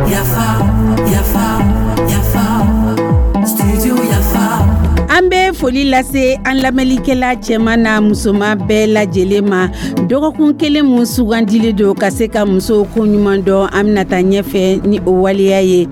Yafa, yafa, yafa, studio Yafa. An bɛ foli lase an lamɛnlikɛla cɛman n'a musoman bɛɛ lajɛlen ma. Dɔgɔkun kelen mun sugandilen don ka se ka musow ko ɲuman dɔn, an bɛna taa ɲɛfɛ ni o waleya ye.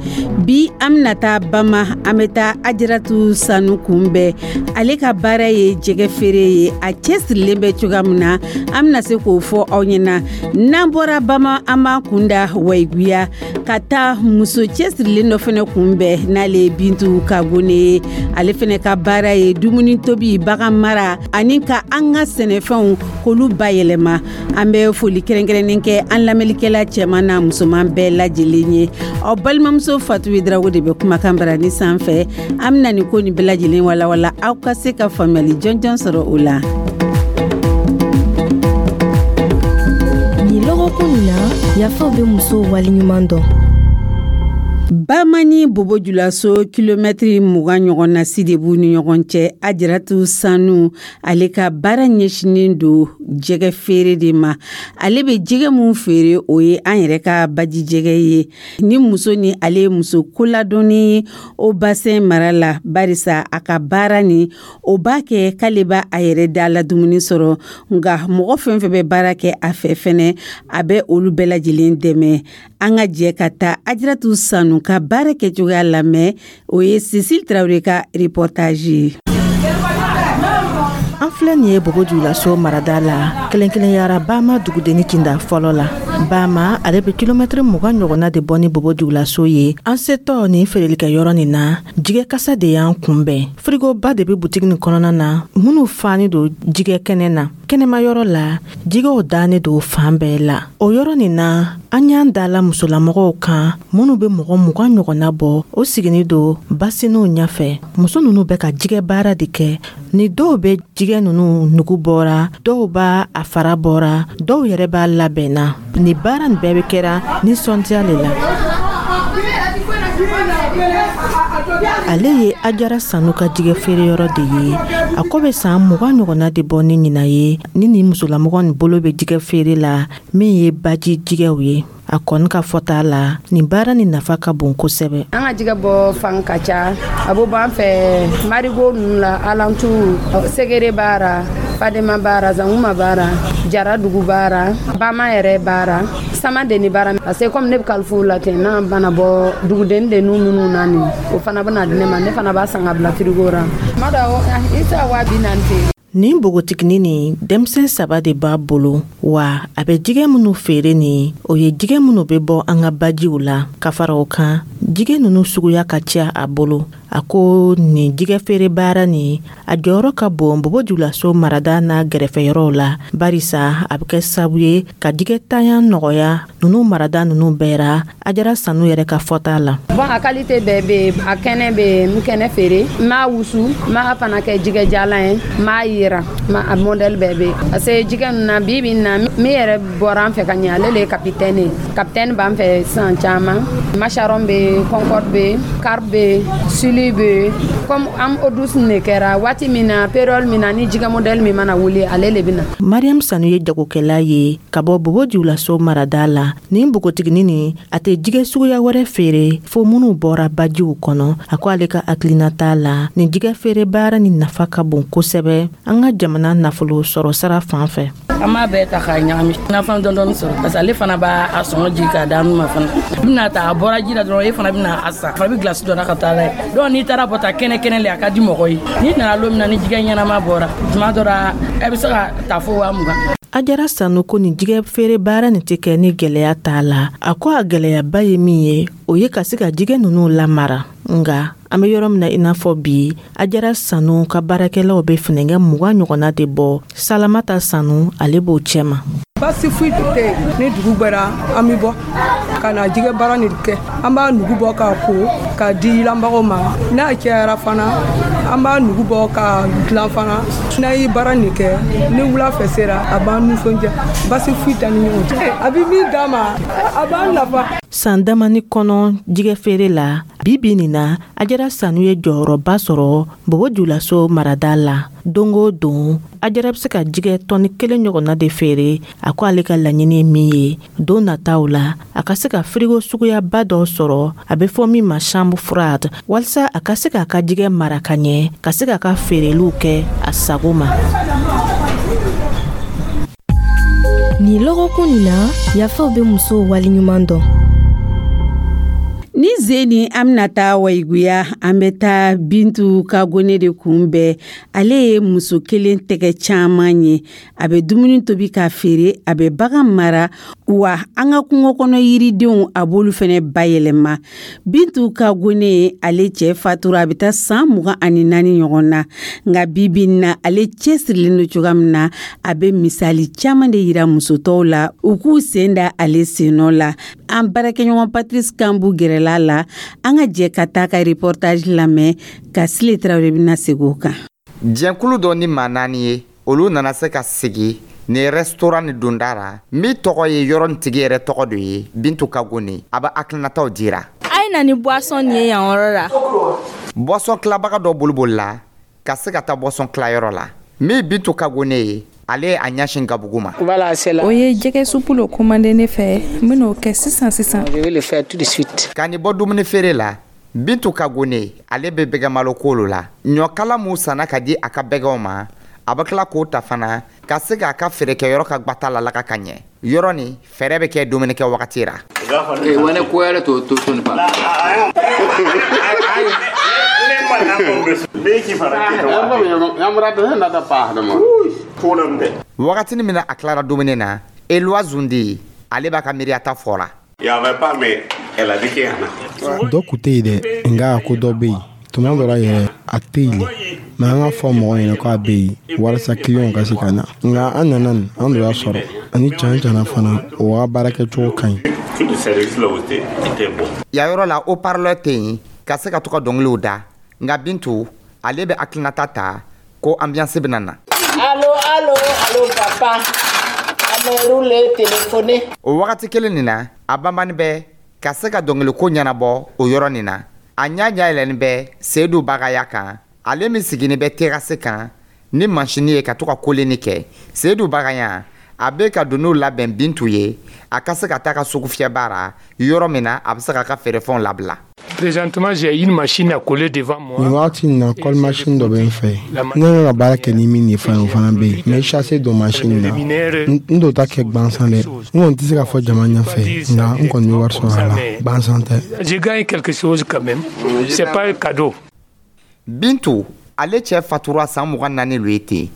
Bi, an bɛna taa Bama, an bɛ taa Ajaratu Sanu kunbɛn. Ale ka baara ye jɛgɛ feere ye. A cɛsirilen bɛ cogoya min na, an bɛna se k'o fɔ aw ɲɛna. N'an bɔra Bama, an b'an kunda Wayiguya ka taa muso cɛsirilen dɔ fana kunbɛn, n'ale ye Bintu Kagone ye. Ale fana ka baara ye dumuni tobi, bagan mara ani ka an ka sɛnɛfɛnw k'olu bayɛlɛma. An bɛ foli kɛrɛnkɛrɛnnen kɛ an lamɛnlikɛla cɛman n'a musoman bɛɛ lajɛlen ye. Aw balimamuso Fatu Drago de bɛ kumakan barani sanfɛ. An bɛna nin ko nin bɛɛ lajɛlen walawala, aw ka se ka faamuyali jɔnjɔn sɔrɔ o la. Nin lɔgɔkun nin na, Yafaw bɛ musow waleɲuman dɔn. Bama ni Bobo Julaso, kilomɛtiri 20 ɲɔgɔn na si de b'u ni ɲɔgɔn cɛ. Ajaratu Sanu, ale ka baara ɲɛsinen don jɛgɛ feere de ma. Ale bɛ jɛgɛ mun feere, o ye an yɛrɛ ka baji jɛgɛ ye. Ni muso ni ale ye muso koladɔnnen ye o bassin mara la, barisa a ka baara ni o b'a kɛ k'ale b'a a yɛrɛ da la dumuni sɔrɔ, nka mɔgɔ fɛn fɛn bɛ baara kɛ a fɛ fɛnɛ, a bɛ olu bɛɛ lajɛlen dɛmɛ. An ka jɛ ka taa Ajaratu Sanu ka baara kɛcogoya lamɛn. O ye Cécile Traoré ka reportage ye. An filɛ nin ye Bobo Julaso marada la, kɛrɛnkɛrɛnyara Bama dugudenni kinda fɔlɔ la. Bama, ale bɛ kilomɛtiri 20 ɲɔgɔnna de bɔ ni Bobo Julaso ye. An setɔ nin feerelikɛyɔrɔ nin na, jigɛ kasa de y'an kunbɛn. Firigoba de bɛ butigi nin kɔnɔna na minnu fani don jigɛ kɛnɛ na. Kɛnɛmayɔrɔ la, jigɛw dannen don fan bɛɛ la. O yɔrɔ nin na, an y'an dala musolamɔgɔw kan minnu bɛ mɔgɔ 20 ɲɔgɔnna bɔ. O siginin don basiniw ɲɛfɛ. Muso ninnu bɛ ka jigɛ baara de kɛ. Ni dɔw bɛ jigɛ ninnu nugu bɔra, dɔw b'a a fara bɔra, dɔw yɛrɛ b'a labɛnna. Ni baara nin bɛɛ bɛ kɛra nisɔndiya de la. Ale ye Ajara Sanu ka jigɛ feereyɔrɔ de ye. A ko bɛ san 20 ɲɔgɔnna de bɔ ni ɲinan ye ni nin musolamɔgɔ nin bolo bɛ jigɛ feere la, min ye baji jigɛw ye. A kɔni ka fɔta la, nin baara nin nafa ka bon kosɛbɛ. An ka jigɛ bɔ fan ka ca. A bɛ bɔ an fɛ marigot ninnu la, alentour, Segere b'a Fadema b'a, Zanguma b'a, Jaradugu b'a, Bama yɛrɛ b'a, Samadeni b'a. Parce que comme ne bɛ kalifu la ten, n'a bana bɔ duguden de minnu na nin, o fana bɛna di ne ma, ne fana b'a san ka bila frigo la. Tuma dɔ i tɛ se ka 40 000 feere. Nin npogotiginin nin, denmisɛn saba de b'a bolo wa. A bɛ jigɛ minnu feere nin, o ye jigɛ minnu bɛ bɔ an ka bajiw la. Ka fara o kan, jigɛ ninnu suguya ka ca a bolo. A ko nin jigɛ feere baara nin, a jɔyɔrɔ ka bon Bobo Julaso marada n'a gɛrɛfɛyɔrɔw la, barisa a bɛ kɛ sababu ye ka jigɛ tanya nɔgɔya ninnu marada ninnu bɛɛ ra. Ajara Sanu yɛrɛ ka fɔta la. Bon, a qualité bɛɛ bɛ yen. A kɛnɛ bɛ yen, n kɛnɛ feere, n m'a wusu, n m'a fana kɛ jigɛ jalan ye, n m'a yira, a modèle bɛɛ bɛ yen. Parce que jigɛ ninnu na, bi bi in na, min yɛrɛ bɔra an fɛ ka ɲɛ, ale le ye capitaine ye. Capitaine b'an fɛ sisan caman. Macharon bɛ yen, concorde bɛ yen, carpe bɛ yen, sili bɛ yen. Comme an eau douce de kɛra waati min na, période min na, ni jigɛ modèle min mana wuli, ale le bɛ na. Mariam Sanu ye jagokɛla ye ka bɔ Bobo Julaso marada la. Nin npogotiginin nin, a tɛ jigɛ suguya wɛrɛ feere fo minnu bɔra bajiw kɔnɔ. A ko ale ka hakilinata la, nin jigɛ feere baara nin nafa ka bon kosɛbɛ an ka jamana nafolo sɔrɔ sira fan fɛ. An b'a bɛɛ ta k'a ɲagami, nafɛn dɔɔni sɔrɔ, parce que ale fana b'a sɔngɔ jigin k'a d'an ma fana. I bɛna ta, a bɔra ji la dɔrɔn, e fana bɛna a san, fana bɛ gilasi dɔ ka taa n'a ye. Donc n'i taara bɔ ta kɛnɛ kɛnɛ le, a ka di mɔgɔ ye. N'i nana don min na ni jigɛ ɲɛnama bɔra, tuma dɔ la e bɛ se ka ta fo 20 000. Ajara Sanu ko nin jigɛ feere baara nin tɛ kɛ ni gɛlɛya t'a la. A ko a gɛlɛyaba ye min ye, o ye ka se ka jigɛ ninnu lamara. Nga an bɛ yɔrɔ min na i n'a fɔ bi, Ajara Sanu ka baarakɛlaw bɛ finɛngɛ 20 ɲɔgɔnna de bɔ. Salamata Sanu, ale b'o cɛma. Basi foyi tɛ yen. Ni dugu gbɛra, an bɛ bɔ ka na jigɛ baara nin kɛ. An b'a nugu bɔ k'a ko. K'a di yilanbagaw ma. N'a cayara fana, an b'a nugu bɔ ka dilan fana. N'an ye baara nin kɛ, ni wula fɛ sera, a b'an nisɔndiya, basi foyi t'an ni ɲɔgɔn cɛ. A bɛ min d'an ma, a b'an nafa. San damani kɔnɔ jigɛ feere la, bi bi nin na, Ajara Sanu ye jɔyɔrɔba sɔrɔ Bobo Julaso marada la. Don o don, Ajara bɛ se ka jigɛ tɔni 1 ɲɔgɔnna de feere. A ko ale ka laɲini ye min ye don nataw la, a ka se ka firigo suguyaba dɔ sɔrɔ, a bɛ fɔ min ma chambre froide, walasa a ka se k'a ka jigɛ mara ka ɲɛ, ka se k'a ka feereliw kɛ a sago ma. Nin lɔgɔkun nin na, Yafaw bɛ musow waleɲuman dɔn. Ni zeni, an bɛna taa Wayiguya. An bɛ taa Bintu Kagone de kunbɛn. Ale ye muso kelen tɛgɛ caman ye. A bɛ dumuni tobi k'a feere, a bɛ bagan mara, wa an ka kungo kɔnɔ yiridenw, a b'olu fana bayɛlɛma. Bintu Kagone, ale cɛ fatura a bɛ taa san 24 ɲɔgɔn na, nka bibi na, ale cɛsirilen don cogoya min na, a bɛ misali caman de yira musotɔw la, u k'u sen da ale sennɔ la. An baarakɛɲɔgɔn Patrice Kambu gɛrɛla la. An ka jɛ ka taa ka reportage lamɛn ka Sile Tarawele bɛna segin o kan. Jɛnkulu dɔ ni maa naani ye, olu nana se ka sigi ni restaurant ni donda ra, min tɔgɔ ye yɔrɔ nin tigi yɛrɛ tɔgɔ do ye, Bintu Kagone. A bɛ hakilinataw dira. A ye na ni boisson nin ye yan yɔrɔ la. Boisson tilabaga dɔ bolibolila ka se ka taa boisson tilayɔrɔ la. Min Bintu Kagone ye, ale ye a ɲɛsin gabugu ma. O ye jɛgɛ supu lo commandé ne fɛ, n ben'o kɛ sisan sisan. Ka nin bɔ dumuni feere la, Bintu Kagone, ale bɛ bɛgɛmalo ko la. Ɲɔkala mun sanna ka di a ka bɛgɛw ma, a bɛ tila k'o ta fana ka se k'a ka feerekɛyɔrɔ ka gbata lalaga ka ɲɛ. Yɔrɔ nin fɛɛrɛ bɛ kɛ dumunikɛ wagati ra. Wagatini min na a tilara dumuni na, Eloi Zundi, ale b'a ka miiriyata fɔ la. Dɔ kun tɛ yen dɛ, nka a ko dɔ bɛ yen. Tuma dɔ la yɛrɛ, a tɛ yen le, mɛ an ka fɔ mɔgɔw ɲɛna k'a bɛ yen walasa kiliyanw ka se ka na. Nka an nana nin, an dun y'a sɔrɔ ani can cana fana, o ka baarakɛcogo ka ɲi. Yan yɔrɔ la, haut-parleur tɛ yen ka se ka to ka dɔnkiliw da, nka Bintu, ale bɛ hakilinata ta ko ambiance bɛna na. Allo, allo, allo papa, a téléphoné. O wagati kelen nin na, a banbani bɛ ka se ka dɔnkiliko ɲɛnabɔ o yɔrɔ nin na. A ɲɛ ɲɛ bɛ Seyidu Bagaya kan, ale min sigilen bɛ terrasse kan ni masini ye ka to ka koleni kɛ. Seyidu Bagaya, a bɛ ka doniw labɛn Bintu ye, a ka se ka taa ka sugu fiyɛba ra, yɔrɔ min na a bɛ se k'a ka feerefɛnw labila. Présentement, j'ai une machine à coller devant moi. Nin wagati in na, colle machine dɔ bɛ n fɛ. Ne ka ka baara kɛ ni min ye fana, o fana bɛ yen. N bɛ chasser don machine na. N t'o ta kɛ gansan dɛ. N kɔni tɛ se k'a fɔ jama ɲɛfɛ, nka n kɔni bɛ wari sɔrɔ a la, gansan tɛ. Je gagne quelque chose quand même. C'est pas un cadeau. Bintu, ale cɛ fatura san 24 lo ye ten.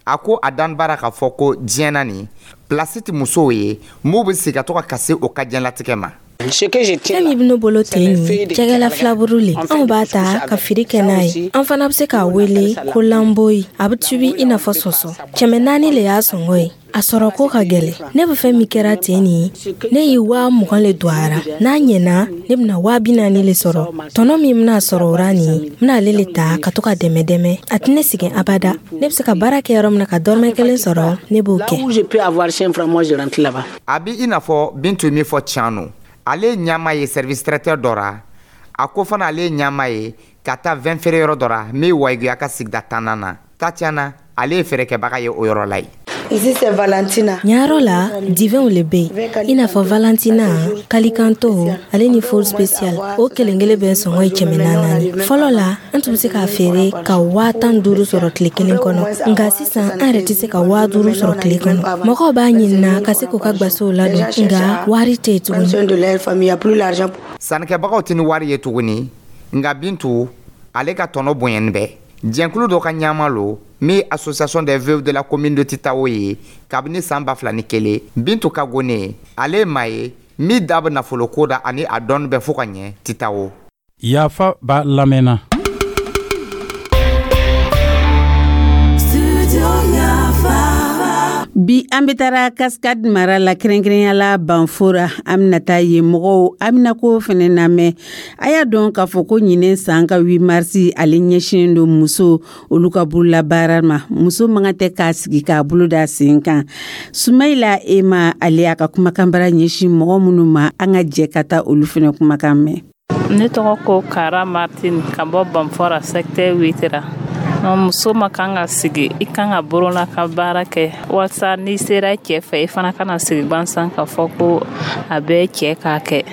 A ko a dan baara k'a fɔ ko diɲɛ na nin place tɛ musow ye m'u bɛ sigi ka to ka kasi o ka diɲɛlatigɛ ma. Fɛn min bɛ ne bolo ten nin, jɛgɛla filaburu le. Anw b'a ta ka feere kɛ n'a ye. An fana bɛ se k'a wele ko lanboyi. A bɛ tubi i n'a fɔ sɔsɔ. 400 le y'a sɔngɔ ye. A sɔrɔ ko ka gɛlɛn. Ne bɛ fɛn min kɛra ten nin, ne ye 20 000 le don a ra. N'a ɲɛna, ne bɛna 40 000 le sɔrɔ. Tɔnɔ min bɛna sɔrɔ o ra nin, n bɛna ale le ta ka to ka dɛmɛ dɛmɛ. A tɛ ne sɛgɛn abada. Ne bɛ se ka baara kɛ yɔrɔ min na ka dɔrɔmɛ 1 sɔrɔ, ne b'o kɛ. A bɛ i n'a fɔ Bintu ye min fɔ tiɲɛ no. Ale ye ɲama ye service traiteur dɔ ra. A ko fana ale ye ɲama ye ka taa vin feere yɔrɔ dɔ ra min Wayiguya ka sigida 10nan na. Tatiana, ale ye feerekɛbaga ye o yɔrɔ la yen. Ici, c'est Valentina. Ɲayɔrɔ la, divinw le bɛ yen, i n'a fɔ Valentina, Calicanto, ale ni Four Special. O kelen kelen bɛɛ sɔngɔ ye 400. Fɔlɔ la, an tun bɛ se k'a feere ka 15 000 sɔrɔ tile kelen kɔnɔ, nka sisan an yɛrɛ tɛ se ka 5000 sɔrɔ tile kɔnɔ. Mɔgɔw b'a ɲinina ka se k'u ka gwasow ladon, nka wari tɛ yen tuguni. Sannikɛbagaw tɛ ni wari ye tuguni, nka Bintu, ale ka tɔnɔ bonyani bɛ. Jɛnkulu dɔ ka ɲama lo min Association des veuves de la commune de Titao ye kabini san 2001. Bintu Kagone, ale ye maa ye min da bɛ nafoloko da ani a dɔnni bɛ fo ka ɲɛ Titao. Yafa b'a lamɛnna. Studio Yafa. Bi, an bɛ taara Cascade mara la, kɛrɛnkɛrɛnya la Banfora. An bɛna taa yen mɔgɔw Aminako fɛnɛ lamɛn. A y'a dɔn k'a fɔ ko ɲinɛ san ka 8 marisi, ale ɲɛsinnen don muso olu ka bololabaara ma. Muso man kan tɛ k'a sigi k'a bolo da sen kan. Sumayila Ema, ale y'a ka kumakanbara ɲɛsin mɔgɔ minnu ma, an ka jɛ ka taa olu fɛnɛ kumakan mɛn. Ne tɔgɔ ko Kara Martin, ka bɔ Banfora, secteur 8 ra. Muso ma kan ka sigi, i kan ka borola ka baara kɛ walasa n'i sera cɛ fɛ, i fana kana sigi gansan ka fɔ ko a bɛɛ cɛ k'a kɛ.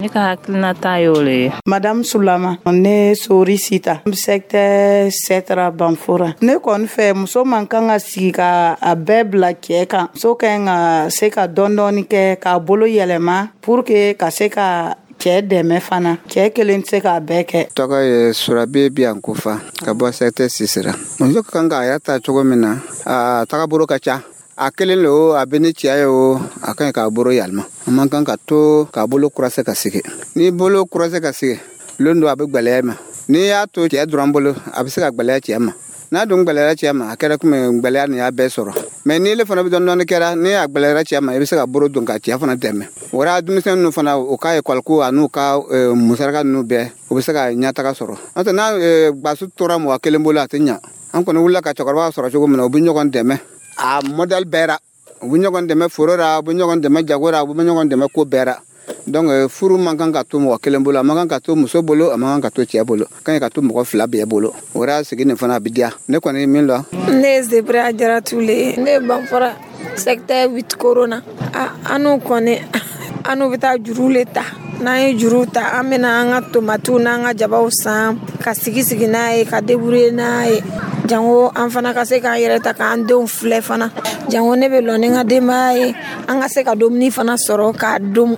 Ne ka hakilinata y'o le ye. Madame Sulama, ne Sori Sita, secteur 7 ra, Banfora. Ne kɔni fɛ, muso man kan ka sigi ka a bɛɛ bila cɛ kan. Muso ka ɲi ka se ka dɔɔni dɔɔni kɛ k'a bolo yɛlɛma pour que ka se ka cɛ dɛmɛ fana. Cɛ kelen tɛ se k'a bɛɛ kɛ. Tɔgɔ ye Surabe Biyankofa, ka bɔ secteur 6 ra. Muso ka kan k'a yɛrɛ ta cogo min na, a tagabolo ka ca. A kelen le o, a bɛ ni cɛ ye o, a ka ɲi k'a bolo yɛlɛma. A man kan ka to k'a bolo kurase ka sigi. N'i bolo kurase ka sigi, lon dɔ a bɛ gwɛlɛya ma. N'i y'a to cɛ dɔrɔn bolo, a bɛ se ka gwɛlɛya cɛ ma. N'a dun gwɛlɛyara cɛ ma, a kɛra komi gwɛlɛya nin y'a bɛɛ sɔrɔ. Mɛ n'i le fana bɛ dɔɔni dɔɔni kɛra, ni a gwɛlɛyara cɛ ma, i bɛ se ka bolo don ka cɛ fana dɛmɛ. O ra denmisɛnnin ninnu fana, u ka ekɔli ko an'u ka musaraka ninnu bɛɛ, u bɛ se ka ɲɛtaga sɔrɔ. N'o tɛ, n'a gbasu tora mɔgɔ kelen bolo, a tɛ ɲa. An kɔni wulila ka cɛkɔrɔba sɔrɔ cogo min na, u bɛ ɲɔgɔn dɛmɛ a modèle bɛɛ ra. U bɛ ɲɔgɔn dɛmɛ foro ra, u bɛ ɲɔgɔn dɛmɛ jago ra, u bɛ ɲɔgɔn dɛmɛ ko bɛɛ ra. Donc furu man kan ka to mɔgɔ kelen bolo, a man kan ka to muso bolo, a man kan ka to cɛ bolo, ka ɲi ka to mɔgɔ fila bɛɛ bolo. O ra sigi nin fana a bɛ diya. Ne kɔni ye min lɔn. Ne ye Zebra Jaratu le ye. Ne ye Banfora, secteur 8 Corona. An kɔni, an bɛ taa juru le ta. N'an ye juru ta, an bɛna an ka tomatiw n'an ka jabaw san ka sigi sigi n'a ye, ka débrouiller n'a ye, jango an fana ka se k'an yɛrɛ ta k'an denw filɛ fana. Jango ne bɛ lɔ ni n ka denbaya ye, an ka se ka dumuni fana sɔrɔ k'a dun.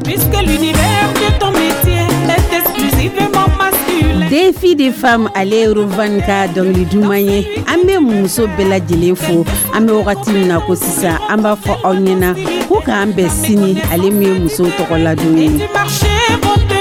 Puisque l'univers de ton métier est exclusivement masculin. Défi de femme, ale ye Rovan ka dɔnkili duman ye. An bɛ muso bɛɛ lajɛlen fo. An bɛ wagati min na ko sisan, an b'a fɔ aw ɲɛna ko k'an bɛn sini, ale min ye musow tɔgɔladon ye. Du marché vont